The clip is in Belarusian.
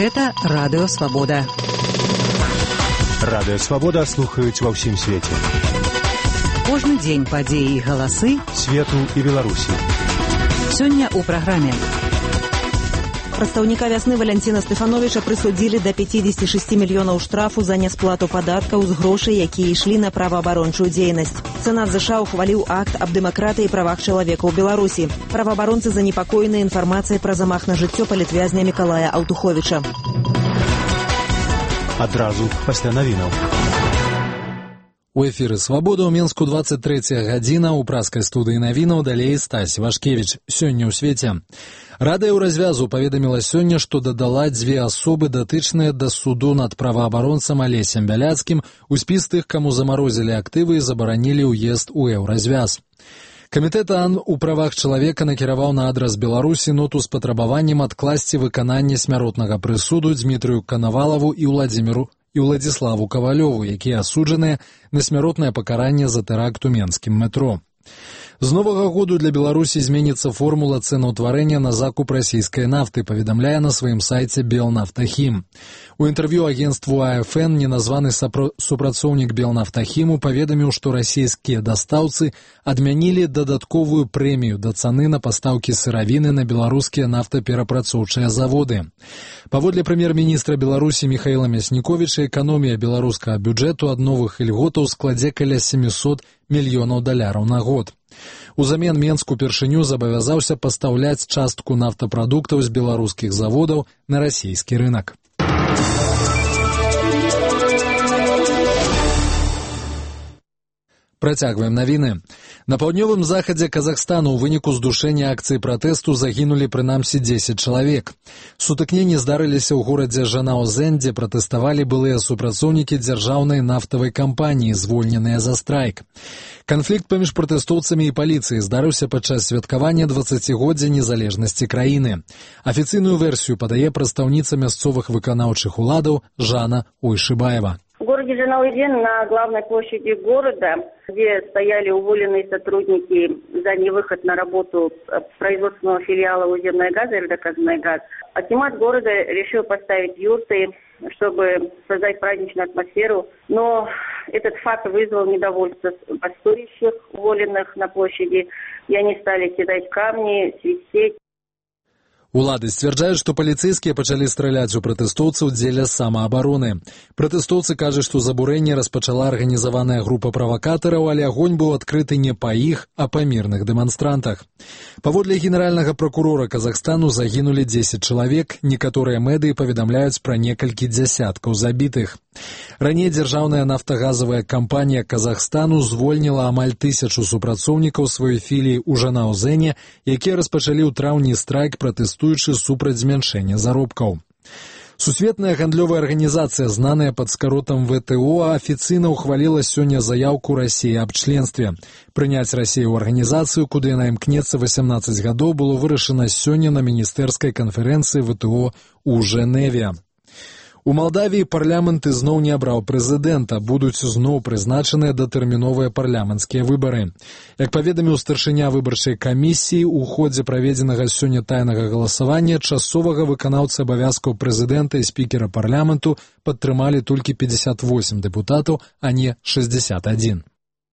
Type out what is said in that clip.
Гэта Радыё Свабода. Радыё Свабода слухаюць ва ўсім свеце. Кожны дзень падзеі і галасы свету і Беларусі. Сёння ў праграме. Прадстаўніка вясны Валянціна Стэфановіча прысудзілі да 56 мільёнаў штрафу за нясплату падаткаў з грошай, якія ішлі на праваабарончую дзейнасць. Сенат ЗША ухваліў акт аб дэмакратыі і правах чалавека ў Беларусі. Праваабаронцы занепакоены інфармацыяй пра замах на жыццё палітвязня Мікалая Аўтуховіча. Адразу пасля навінаў. У эфіры «Свабода» ў Менску 23 гадзіна, у праскай студыі навінаў далей Стась Вашкевіч. Сёння ў свеце. Рада Еўразвязу паведаміла сёння, што дадала дзве асобы, датычныя да суду над праваабаронцам Алесем Бяляцкім, у спіс тых, каму замарозілі актывы і забаранілі ўезд у Еўразвяз. Камітэт АН у правах чалавека накіраваў на адрас Беларусі ноту з патрабаваннем адкласці выкананне смяротнага прысуду Дмітрыю Канавалаву і Уладзіславу Кавалёву, якія асуджаныя на смяротнае пакаранне за тэракт у менскім метро. З новага году для Беларусі зменіцца формула цэнаўтварэння на закуп расійскай нафты, паведамляе на сваім сайце Белнафтахім. У інтэрв'ю агенству АФН неназваны супрацоўнік Белнафтахіму паведаміў, што расійскія дастаўцы адмянілі дадатковую прэмію да цаны на пастаўкі сыравіны на беларускія нафтаперапрацоўчыя заводы. Паводле прэм'ер-міністра Беларусі Міхаіла Мясніковіча, эканомія беларускага бюджэту ад новых ільготаў складзе каля 700 мільёнаў даляраў на год. Узамен Менск упершыню забавязаўся пастаўляць частку нафтапрадуктаў з беларускіх заводаў на расійскі рынак. Працягваем навіны. На паўднёвым захадзе Казахстану ў выніку здушэння акцыі пратэсту загінулі прынамсі 10 чалавек. Сутыкненні здарыліся ў горадзе Жанаозен, дзе пратэставалі былыя супрацоўнікі дзяржаўнай нафтавай кампаніі, звольненыя за страйк. Канфлікт паміж пратэстоўцамі і паліцыяй здарыўся падчас святкавання 20-годдзя незалежнасці краіны. Афіцыйную версію падае прадстаўніца мясцовых выканаўчых уладаў Жанна Уйшыбаева. В городе Жанаозен на главной площади города, где стояли уволенные сотрудники за невыход на работу производственного филиала «Уземная газа» «РДК-Знайгаз», акимат города решил поставить юрты, чтобы создать праздничную атмосферу. Но этот факт вызвал недовольство бастующих, уволенных на площади, и они стали кидать камни, свистеть. Улады сцвярджаюць, што паліцэйскія пачалі страляць у пратэстоўцаў дзеля самаабароны. Пратэстоўцы кажуць, што забурэнне распачала арганізаваная група правакатараў, але агонь быў адкрыты не па іх, а па мірных дэманстрантах. Паводле генеральнага пракурора Казахстану загінулі 10 чалавек, некаторыя медыі паведамляюць пра некалькі дзясяткаў забітых. Раней дзяржаўная нафтагазавая кампанія Казахстану звольніла амаль 1000 супрацоўнікаў сваёй філіі ў Жанаозене, якія распачалі ў траўні страйк, пратэстуючы супраць змяншэння заробкаў. Сусветная гандлёвая арганізацыя, знаная пад скаротам ВТО, афіцыйна ўхваліла сёння заяўку Расіі аб членстве. Прыняць Расію ў арганізацыю, куды яна імкнецца 18 гадоў, было вырашана сёння на міністэрскай канферэнцыі ВТО ў Жэневе. У Малдавіі парламент ізноў не абраў прэзідэнта, будуць зноў прызначаныя датэрміновыя парламенцкія выбары. Як паведаміў старшыня выбарчай камісіі, у ходзе праведзенага сёння тайнага галасавання часовага выканаўцы абавязкаў прэзідэнта і спікера парламенту падтрымалі толькі 58 дэпутатаў, а не 61.